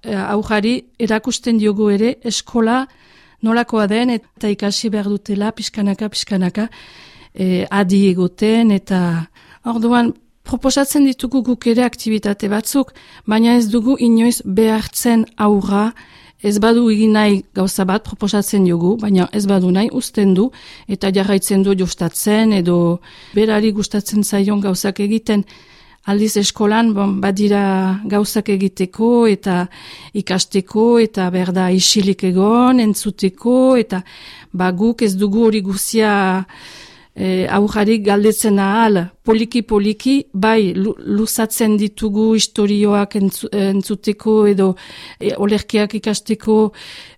aurrari erakusten diogu ere eskola nolakoa den eta ikasi behar dutela pixkanaka adi egoten eta orduan proposatzen ditugu guk ere aktibitate batzuk, baina ez dugu inoiz behartzen aurra, ez badu egin nahi gauza bat proposatzen dugu, baina ez badu nahi uzten du eta jarraitzen du jostatzen edo berari gustatzen zaion gauzak egiten. Aldiz eskolan badira gauzak egiteko eta ikasteko eta berda isilik egon, entzuteko eta guk ez dugu hori guzia aurrari galdetzen ahal, poliki, bai luzatzen ditugu historioak entzuteko edo olerkiak ikasteko